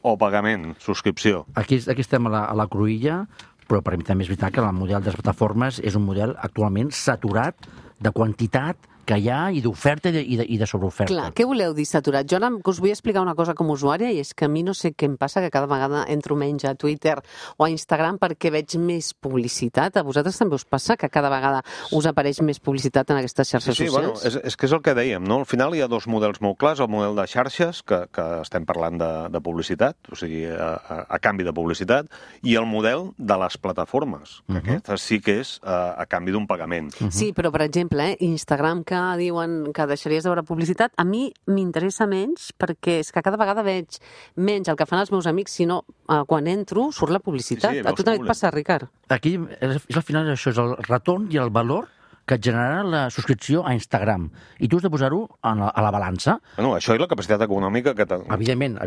o pagament, subscripció. Aquí estem a la cruïlla, però per mi també és veritat que el model de les plataformes és un model actualment saturat de quantitat que hi ha, i d'oferta i de sobreoferta. Clar, què voleu dir saturat? Jo ara us vull explicar una cosa com a usuària, i és que a mi no sé què em passa, que cada vegada entro menys a Twitter o a Instagram perquè veig més publicitat. A vosaltres també us passa que cada vegada us apareix més publicitat en aquestes xarxes socials? Bueno, és que és el que dèiem, no? Al final hi ha dos models molt clars, el model de xarxes, que estem parlant de publicitat, o sigui, a canvi de publicitat, i el model de les plataformes, que aquesta sí que és a canvi d'un pagament. Sí, però, per exemple, Instagram, que diuen que deixaries de veure publicitat, a mi m'interessa menys perquè és que cada vegada veig menys el que fan els meus amics, sinó quan entro surt la publicitat. Sí, a tu també et passa, Ricard? Aquí, al final, això és el retorn i el valor que et generarà la subscripció a Instagram. I tu has de posar-ho a la balança. Bueno, això és la capacitat econòmica que... Evidentment.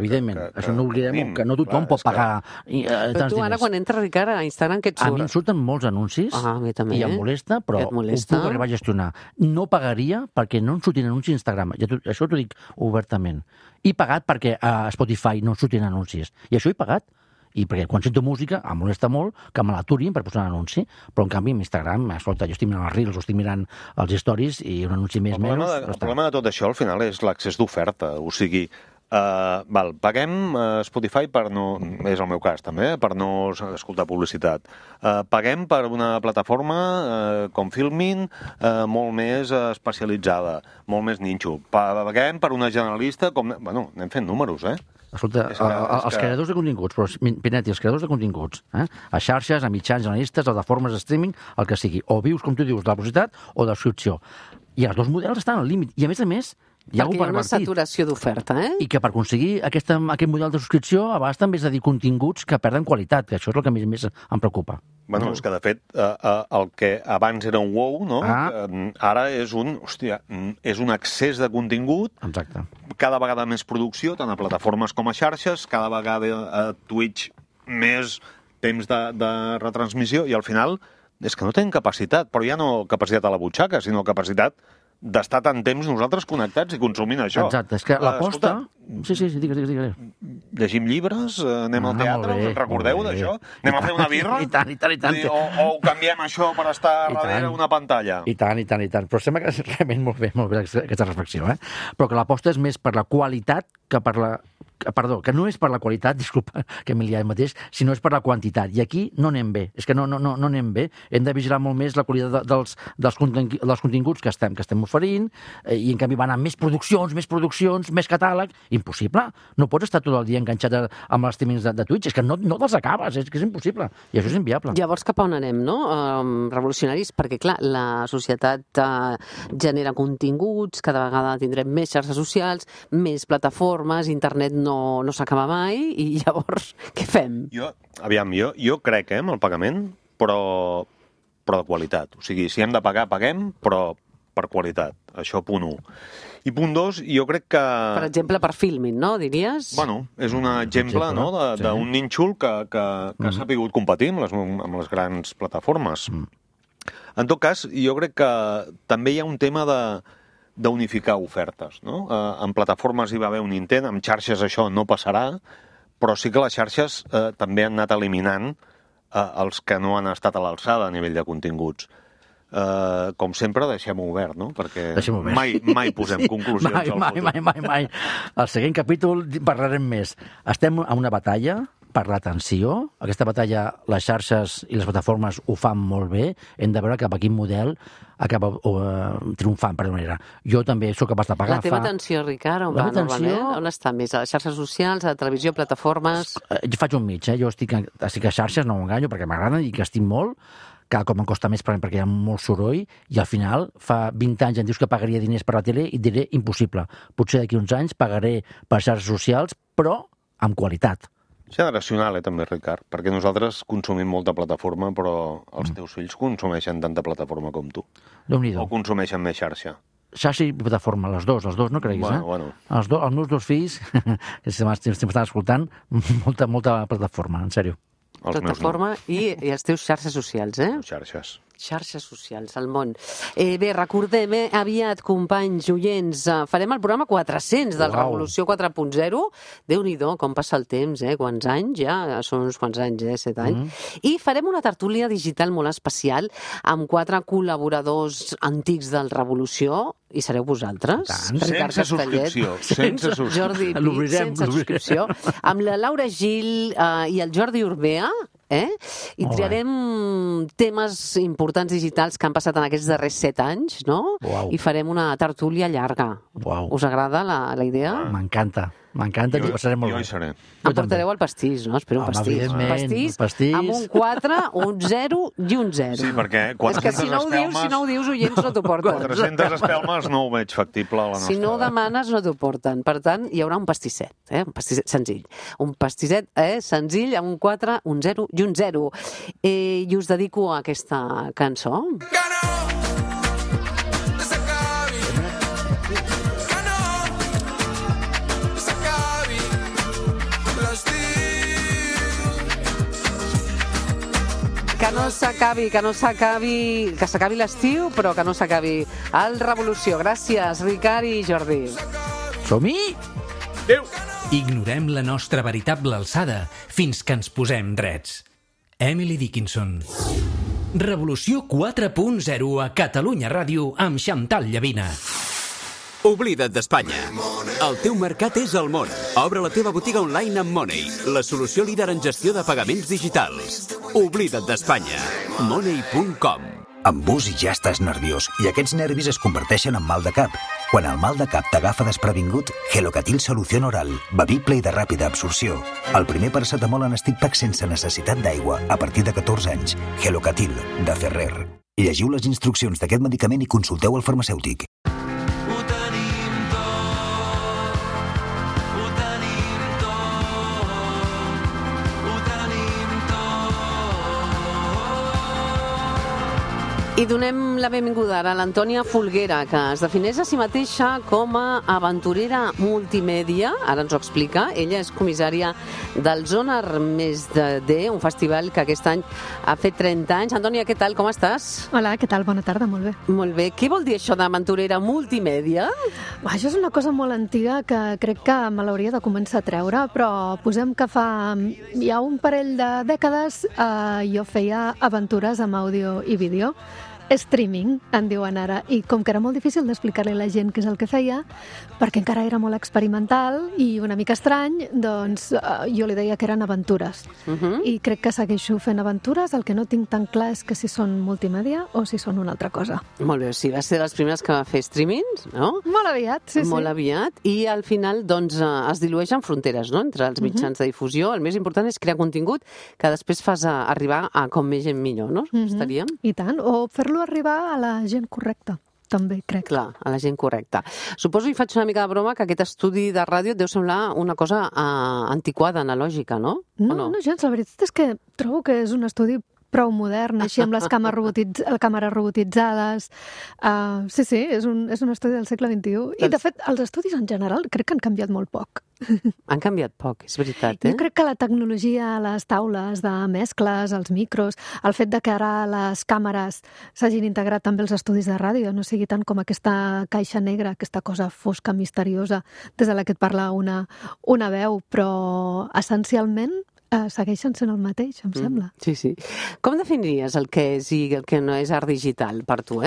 Això no oblidem, que no tothom pot pagar tants diners. Però tu ara, quan entres, Ricard, a Instagram, què et surt? A mi em surten molts anuncis a mi també. I em molesta, però ho puc arribar a gestionar. No pagaria perquè no em surtin anuncis a Instagram. Això t'ho dic obertament. He pagat perquè a Spotify no em surtin anuncis. I això he pagat. I perquè quan sento música em molesta molt que me l'aturin per posar un anunci, però en canvi en Instagram, escolta, jo estic mirant els Reels o estic mirant els stories i un anunci més El problema de tot això al final és l'accés d'oferta, o sigui, paguem Spotify per no, és el meu cas també, per no escoltar publicitat. Paguem per una plataforma com Filmin molt més especialitzada, molt més ninxo. Paguem per una generalista com... Bueno, anem fent números, Escolta, els creadors de continguts, però Pinetti, els creadors de continguts, a xarxes, a mitjans generalistes, a plataformes de streaming, el que sigui, o vius, com tu dius, de la publicitat o de la subscripció. I els dos models estan al límit. I a més, hi ha perquè hi ha una saturació d'oferta, I que per aconseguir aquest model de subscripció a vegades també és de dir continguts que perden qualitat, que això és el que més em preocupa. Bueno, és que de fet el que abans era un wow, no? Ara és un excés de contingut. Exacte. Cada vegada més producció, tant a plataformes com a xarxes, cada vegada a Twitch més temps de retransmissió, i al final és que no tenen capacitat, però ja no capacitat a la butxaca, sinó capacitat d'estar tant temps nosaltres connectats i consumint això. Exacte, és que l'aposta... Sí, digues. Llegim llibres, anem al teatre, us recordeu d'això? Anem a fer una birra? I tant. O ho canviem això per estar darrere una pantalla? I tant. Però sembla que és realment molt bé aquesta reflexió, Però que l'aposta és més per la qualitat que per la... Perdó, que no és per la qualitat, disculpa, que m'he liat mateix, sinó és per la quantitat. I aquí no anem bé. És que no anem bé. Hem de vigilar molt més la qualitat dels continguts que estem oferint, i en canvi van a més produccions, més catàleg. Impossible. No pots estar tot el dia enganxat amb els streamings de Twitch. És que no te'ls acabes, és que és impossible. I això és inviable. Llavors, cap a on anem, no? Revolucionaris, perquè, clar, la societat genera continguts, cada vegada tindrem més xarxes socials, més plataformes, internet no s'acaba mai, i llavors què fem? Jo crec, amb el pagament, però de qualitat. O sigui, si hem de pagar, paguem, però per qualitat. Això, punt 1. I punt 2, jo crec que... Per exemple, per Filmin, no, diries? Bueno, és un exemple no, d'un nínxol que s'ha sabut competir amb les grans plataformes. En tot cas, jo crec que també hi ha un tema d'unificar ofertes, no? En plataformes hi va haver un intent, en xarxes això no passarà, però sí que les xarxes també han anat eliminant els que no han estat a l'alçada a nivell de continguts. Com sempre, deixem-ho obert, no? Perquè mai posem conclusions al futur. Mai. Al següent capítol parlarem més. Estem en una batalla per l'atenció. Aquesta batalla, les xarxes i les plataformes ho fan molt bé. Hem de veure cap a quin model acaba triomfant, per manera. Jo també sóc capaç de pagar. La teva atenció, Ricard, on va normalment? On està més? A les xarxes socials, a la televisió, plataformes? Jo faig un mig, Jo estic a xarxes, no m'enganyo, perquè m'agraden i que estic molt. Cada cop em costa més perquè hi ha molt soroll, i al final, fa 20 anys em dius que pagaria diners per la tele i et diré impossible. Potser d'aquí uns anys pagaré per xarxes socials, però amb qualitat. Generacional, també, Ricard, perquè nosaltres consumim molta plataforma, però els teus fills consumeixen tanta plataforma com tu. O consumeixen més xarxa. Xarxa i plataforma, les dos, no creguis, Bueno. Els meus dos fills, que estan escoltant, molta plataforma, en sèrio. Plataforma i els teus xarxes socials, Xarxes. Xarxes socials, al món. Bé, recordem, aviat, companys, oients, farem el programa 400 del Revolució 4.0. Déu-n'hi-do, com passa el temps, quants anys, ja són uns quants anys, 7 anys. I farem una tertúlia digital molt especial amb 4 col·laboradors antics del Revolució, i sereu vosaltres. Sense subscripció. Jordi Pi, sense subscripció. Amb la Laura Gil i el Jordi Urbea, i triarem temes importants digitals que han passat en aquests darrers 7 anys, no? I farem una tertúlia llarga. Us agrada la idea? M'encanta, m'encanta, ens ho passarem molt bé. Jo hi seré. Em portareu el pastís, no? Espero un pastís. Pastís amb un 4, un 0 i un 0. Sí, perquè 400 és que si no ho dius, oients no t'ho porten. 400 espelmes no ho veig factible a la nostra. Si no ho demanes, no t'ho porten. Per tant, hi haurà un pastisset, un pastisset senzill. Un pastisset senzill amb un 4, un 0 i un 0. I us dedico a aquesta cançó. Que s'acabi l'estiu, però que no s'acabi el Revolució. Gràcies, Ricard i Jordi. Som-hi! Adéu! Ignorem la nostra veritable alçada fins que ens posem drets. Emily Dickinson. Revolució 4.0 a Catalunya Ràdio amb Xantal Llavina. Oblida't d'Espanya. El teu mercat és el món. Obre la teva botiga online amb Money, la solució líder en gestió de pagaments digitals. Oblida't d'Espanya. Money.com. Amb bus i ja estàs nerviós, i aquests nervis es converteixen en mal de cap. Quan el mal de cap t'agafa desprevingut, Gelocatil Solución Oral, bevible i de ràpida absorció. El primer paracetamol en stick pack sense necessitat d'aigua, a partir de 14 anys. Gelocatil, de Ferrer. Llegiu les instruccions d'aquest medicament i consulteu el farmacèutic. I donem la benvinguda a l'Antònia Folguera, que es defineix a si mateixa com a aventurera multimèdia. Ara ens ho explica. Ella és comissària del Sonar Més D, un festival que aquest any ha fet 30 anys. Antònia, què tal? Com estàs? Hola, què tal? Bona tarda, molt bé. Molt bé. Què vol dir això d'aventurera multimèdia? Això és una cosa molt antiga que crec que me l'hauria de començar a treure, però posem que fa ja un parell de dècades jo feia aventures amb àudio i vídeo. Streaming, en diuen ara, i com que era molt difícil d'explicar-li a la gent què és el que feia, perquè encara era molt experimental i una mica estrany, doncs jo li deia que eren aventures. I crec que segueixo fent aventures, el que no tinc tan clar és que si són multimèdia o si són una altra cosa. Molt bé, sí, va ser de les primeres que va fer streamings, no? Molt aviat, sí. Molt aviat, i al final doncs es dilueixen fronteres, no?, entre els mitjans de difusió. El més important és crear contingut que després fas arribar a com més gent millor, no? Estaríem? I tant, o fer-lo arribar a la gent correcta, també, crec. Clar, a la gent correcta. Suposo, i faig una mica de broma, que aquest estudi de ràdio et deu semblar una cosa antiquada, analògica, no? No, gens. La veritat és que trobo que és un estudi prou modern, així amb les càmeres robotitzades. Sí, és un estudi del segle XXI. I, de fet, els estudis en general crec que han canviat molt poc. Han canviat poc, és veritat, Jo crec que la tecnologia, les taules de mescles, els micros, el fet de que ara les càmeres s'hagin integrat també els estudis de ràdio, no sigui tant com aquesta caixa negra, aquesta cosa fosca, misteriosa, des de la que et parla una veu, però essencialment segueixen sent el mateix, em sembla. Sí. Com definiries el que és i el que no és art digital per tu,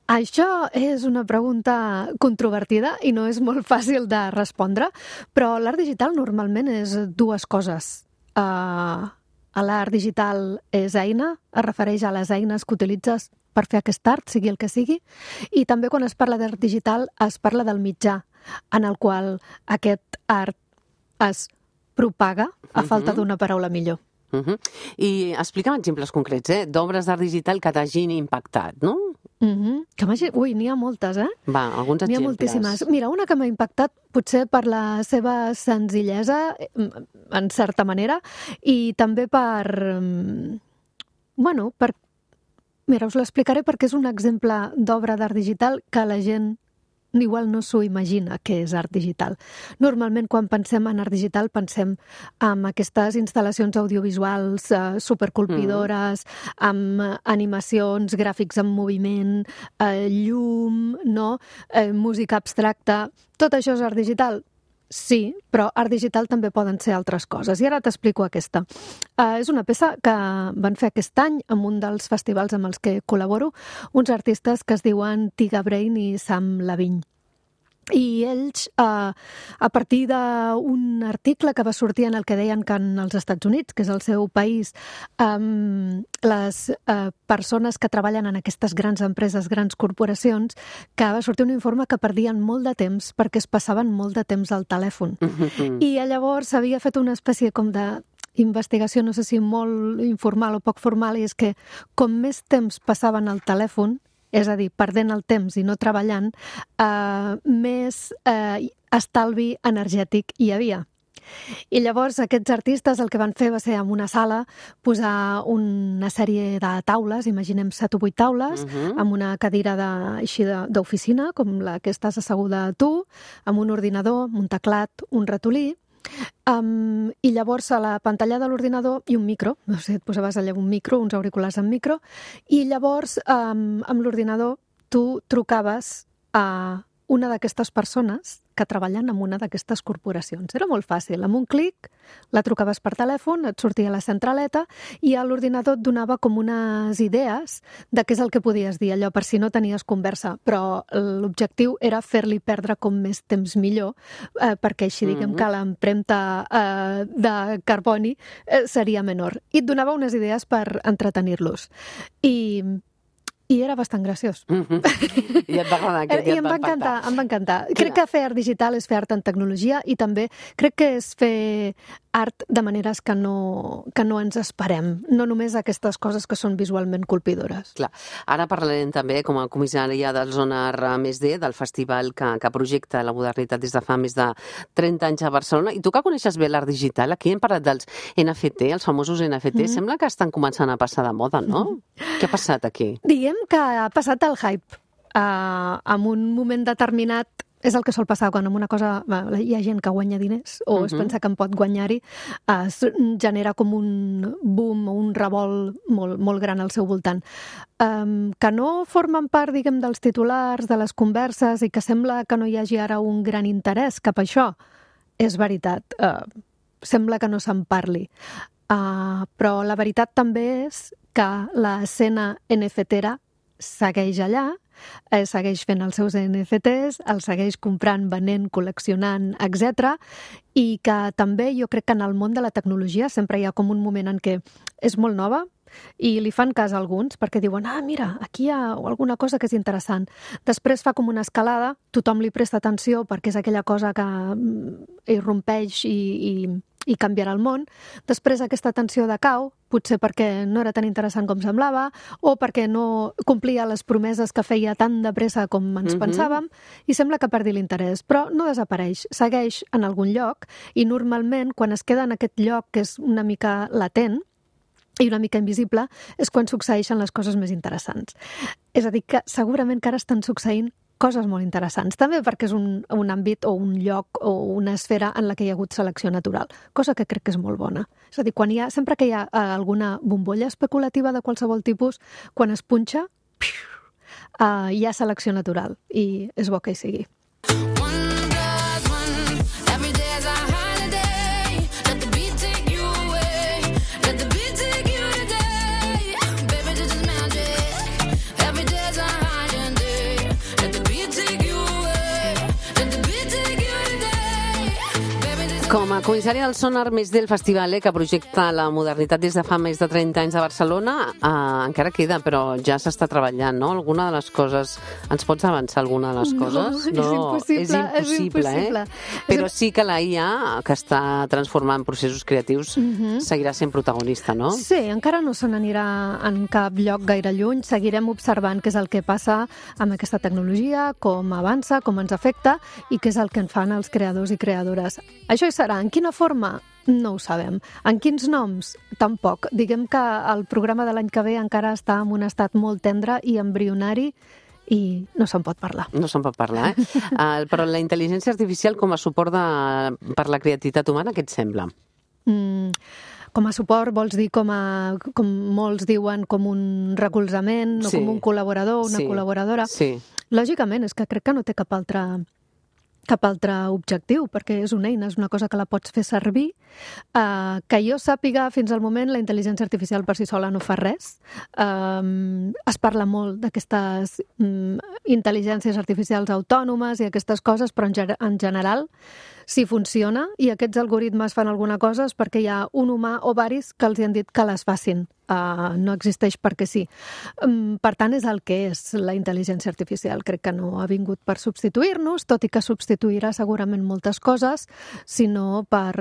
Això és una pregunta controvertida i no és molt fàcil de respondre, però l'art digital normalment és dues coses. L'art digital és eina, es refereix a les eines que utilitzes per fer aquest art, sigui el que sigui, i també quan es parla d'art digital es parla del mitjà en el qual aquest art es propaga, a falta d'una paraula millor. I explica'm exemples concrets, d'obres d'art digital que t'hagin impactat, no? N'hi ha moltes, Va, alguns exemples. N'hi ha moltíssimes. Mira, una que m'ha impactat potser per la seva senzillesa, en certa manera, i també Mira, us l'explicaré perquè és un exemple d'obra d'art digital que la gent igual no s'ho imagina què és art digital. Normalment, quan pensem en art digital, pensem en aquestes instal·lacions audiovisuals supercolpidores, amb animacions, gràfics en moviment, llum, no? Música abstracta. Tot això és art digital? Sí, però art digital també poden ser altres coses. I ara t'explico aquesta. És una peça que van fer aquest any en un dels festivals amb els que col·laboro, uns artistes que es diuen Tiga Brain i Sam Lavigne. I ells, a partir d'un article que va sortir en el que deien que en els Estats Units, que és el seu país, les persones que treballen en aquestes grans empreses, grans corporacions, que va sortir un informe que perdien molt de temps perquè es passaven molt de temps al telèfon. I llavors s'havia fet una espècie com de investigació, no sé si molt informal o poc formal, i és que com més temps passaven al telèfon, és a dir, perdent el temps i no treballant, més estalvi energètic hi havia. I llavors aquests artistes el que van fer va ser en una sala posar una sèrie de taules, imaginem 7 o 8 taules, amb una cadira d'oficina, com la que estàs asseguda tu, amb un ordinador, un teclat, un ratolí, i llavors a la pantalla de l'ordinador i un micro, no sé, et posaves allà un micro, uns auriculars amb micro, i llavors amb l'ordinador tu trucaves a una d'aquestes persones que treballen en una d'aquestes corporacions. Era molt fàcil. Amb un clic la trucaves per telèfon, et sortia la centraleta i a l'ordinador et donava com unes idees de què és el que podies dir, allò per si no tenies conversa. Però l'objectiu era fer-li perdre com més temps millor, perquè així diguem que l'empremta de carboni seria menor. I et donava unes idees per entretenir-los. I era bastant graciós. I et va agradar aquest, I em va encantar, em va encantar. Crec que fer art digital és fer art en tecnologia i també crec que és fer art de maneres que no ens esperem, no només aquestes coses que són visualment colpidores. Clar. Ara parlarem també, com a comissària del Zona R+D, del festival que projecta la modernitat des de fa més de 30 anys a Barcelona. I tu que coneixes bé l'art digital, aquí hem parlat dels NFT, els famosos NFT, sembla que estan començant a passar de moda, no? Què ha passat aquí? Diguem que ha passat el hype. En un moment determinat és el que sol passar quan en una cosa hi ha gent que guanya diners o es pensa que en pot guanyar-hi, es genera com un boom o un revolt molt gran al seu voltant. Que no formen part, diguem, dels titulars, de les converses i que sembla que no hi hagi ara un gran interès cap a això, és veritat. Sembla que no se'n parli. Però la veritat també és que l'escena NFT-era segueix allà, segueix fent els seus NFTs, els segueix comprant, venent, col·leccionant, etc. I que també jo crec que en el món de la tecnologia sempre hi ha com un moment en què és molt nova i li fan cas a alguns perquè diuen, mira, aquí hi ha alguna cosa que és interessant. Després fa com una escalada, tothom li presta atenció perquè és aquella cosa que irrompeix i canviarà el món. Després aquesta atenció decau, potser perquè no era tan interessant com semblava o perquè no complia les promeses que feia tan de pressa com ens pensàvem i sembla que perdi l'interès. Però no desapareix, segueix en algun lloc i normalment quan es queda en aquest lloc que és una mica latent i una mica invisible és quan succeeixen les coses més interessants. És a dir, que segurament que ara estan succeint coses molt interessants, també perquè és un àmbit o un lloc o una esfera en la que hi ha hagut selecció natural, cosa que crec que és molt bona. És a dir, sempre que hi ha alguna bombolla especulativa de qualsevol tipus, quan es punxa, hi ha selecció natural i és bo que hi sigui. Com a comissària del Zona R+D, el festival que projecta la modernitat des de fa més de 30 anys a Barcelona, encara queda, però ja s'està treballant, no? Alguna de les coses... Ens pots avançar alguna de les coses? No, és impossible. Però sí que la IA, que està transformant processos creatius, seguirà sent protagonista, no? Sí, encara no se n'anirà en cap lloc gaire lluny. Seguirem observant què és el que passa amb aquesta tecnologia, com avança, com ens afecta i què és el que en fan els creadors i creadores. Això hi serà. En quina forma? No ho sabem. En quins noms? Tampoc. Diguem que el programa de l'any que ve encara està en un estat molt tendre i embrionari i no se'n pot parlar. No se'n pot parlar, però la intel·ligència artificial com a suport per la creativitat humana, què et sembla? Com a suport vols dir com molts diuen, com un recolzament o com un col·laborador, una col·laboradora? Sí. Lògicament, és que crec que no té cap altre objectiu, perquè és una eina, és una cosa que la pots fer servir. Que jo sàpiga, fins al moment, la intel·ligència artificial per si sola no fa res. Es parla molt d'aquestes intel·ligències artificials autònomes i aquestes coses, però en general, si funciona i aquests algoritmes fan alguna cosa és perquè hi ha un humà o varis que els han dit que les facin. No existeix perquè sí. Per tant, és el que és la intel·ligència artificial. Crec que no ha vingut per substituir-nos, tot i que substituirà segurament moltes coses, sinó per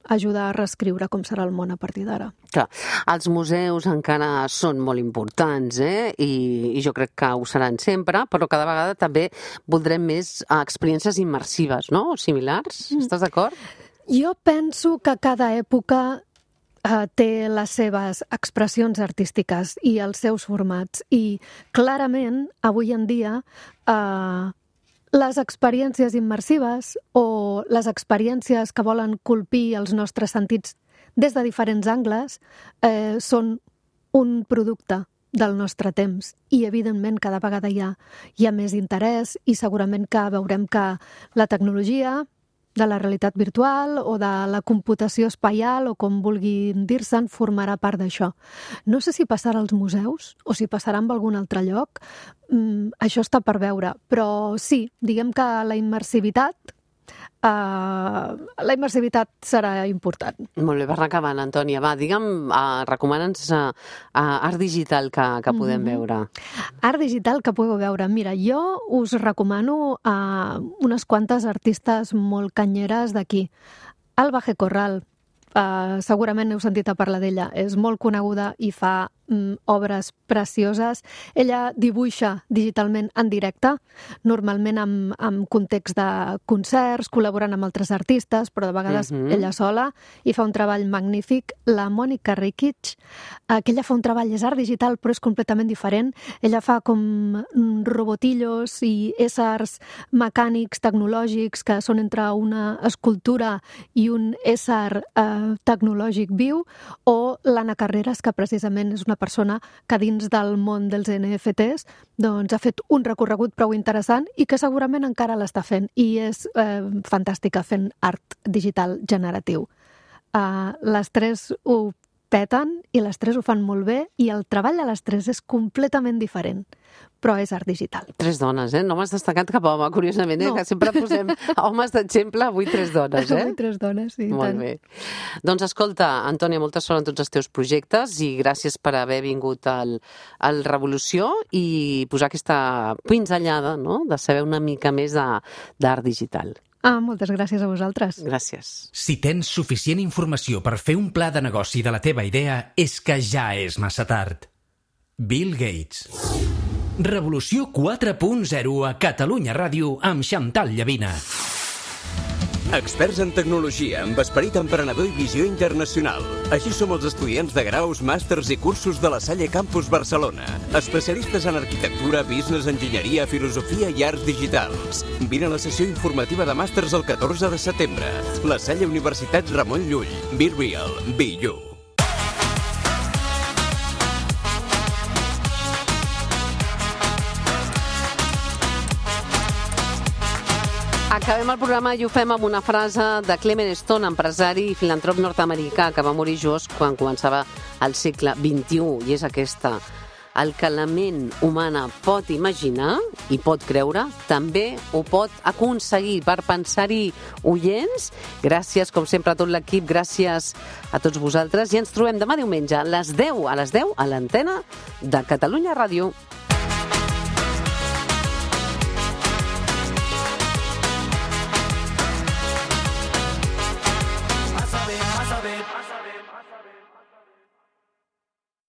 ajudar a reescriure com serà el món a partir d'ara. Clar, els museus encara són molt importants, i jo crec que ho seran sempre, però cada vegada també voldrem més experiències immersives, no? O similars. Estàs d'acord? Jo penso que cada època té les seves expressions artístiques i els seus formats. I clarament, avui en dia, les experiències immersives o les experiències que volen colpir els nostres sentits des de diferents angles són un producte del nostre temps i, evidentment, cada vegada hi ha més interès i segurament que veurem que la tecnologia de la realitat virtual o de la computació espaial o com vulguin dir-se'n formarà part d'això. No sé si passarà als museus o si passarà en algun altre lloc, això està per veure, però sí, diguem que la immersivitat serà important. Molt bé, per anar acabant, Antònia. Va, digue'm, recomana'ns art digital que podem veure. Art digital que podeu veure. Mira, jo us recomano unes quantes artistes molt canyeres d'aquí. Alba G. Corral, segurament heu sentit a parlar d'ella. És molt coneguda i fa obres precioses. Ella dibuixa digitalment en directe, normalment amb context de concerts, col·laborant amb altres artistes, però de vegades ella sola, i fa un treball magnífic. La Mònica Rikic, que ella fa un treball, és art digital, però és completament diferent. Ella fa com robotillos i éssers mecànics, tecnològics, que són entre una escultura i un ésser tecnològic viu, o l'Anna Carreras, que precisament és una persona que dins del món dels NFTs doncs ha fet un recorregut prou interessant i que segurament encara l'està fent i és fantàstica fent art digital generatiu. Les tres ho peten i les tres ho fan molt bé i el treball de les tres és completament diferent, però és art digital. Tres dones, no m'has destacat cap home, curiosament, que sempre posem homes d'exemple, avui tres dones, Avui tres dones, sí. Molt bé. Doncs escolta, Antònia, molta sort en tots els teus projectes i gràcies per haver vingut al Revolució i posar aquesta pinzellada, no?, de saber una mica més d'art digital. Moltes gràcies a vosaltres. Gràcies. Si tens suficient informació per fer un pla de negoci de la teva idea, és que ja és massa tard. Bill Gates. Revolució 4.0 a Catalunya Ràdio amb Xantal Llavina. Experts en tecnologia, amb esperit emprenedor i visió internacional. Així som els estudiants de graus, màsters i cursos de la Salle Campus Barcelona. Especialistes en arquitectura, business, enginyeria, filosofia i arts digitals. Vine a la sessió informativa de màsters el 14 de setembre. La Salle Universitat Ramon Llull. Be real, be you. Acabem el programa i ho fem amb una frase de Clement Stone, empresari i filantrop nord-americà que va morir just quan començava el segle XXI, i és aquesta: el que la ment humana pot imaginar i pot creure, també ho pot aconseguir. Per pensar-hi, oients, gràcies com sempre a tot l'equip, gràcies a tots vosaltres, i ens trobem demà diumenge a les 10 a l'antena de Catalunya Ràdio.